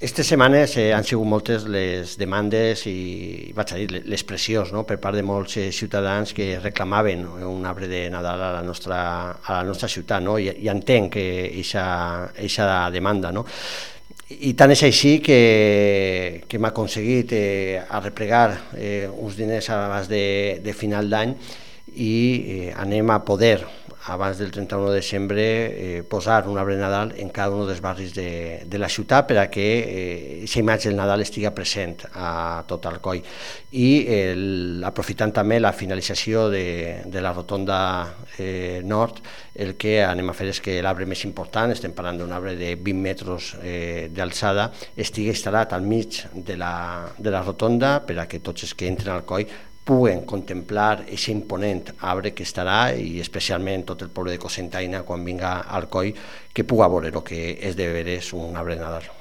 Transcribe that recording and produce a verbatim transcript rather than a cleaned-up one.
Aquestes setmanes eh, han sigut moltes les demandes i, vaig a dir, les pressions, no?, per part de molts eh, ciutadans que reclamaven un arbre de Nadal a la nostra, a la nostra ciutat, no? I, i entenc aquesta demanda, no? I tant és així que, que hem aconseguit eh, arreplegar eh, uns diners abans de, de final d'any i eh, anem a poder, abans del trenta-u de desembre, eh, posar un arbre de Nadal en cada un dels barris de, de la ciutat per a que aquesta eh, imatge del Nadal estigui present a tot Alcoi. I el, aprofitant també la finalització de, de la rotonda eh, nord, el que anem a fer és que l'arbre més important, estem parlant d'un arbre de vint metres eh, d'alçada, estigui instal·lat al mig de la, de la rotonda per a que tots els que entren al Alcoi puguen contemplar aquest imponent arbre que estarà, i especialment tot el poble de Cocentaina, quan vinga al Alcoi, que puga veure el que és de veres un arbre de Nadal.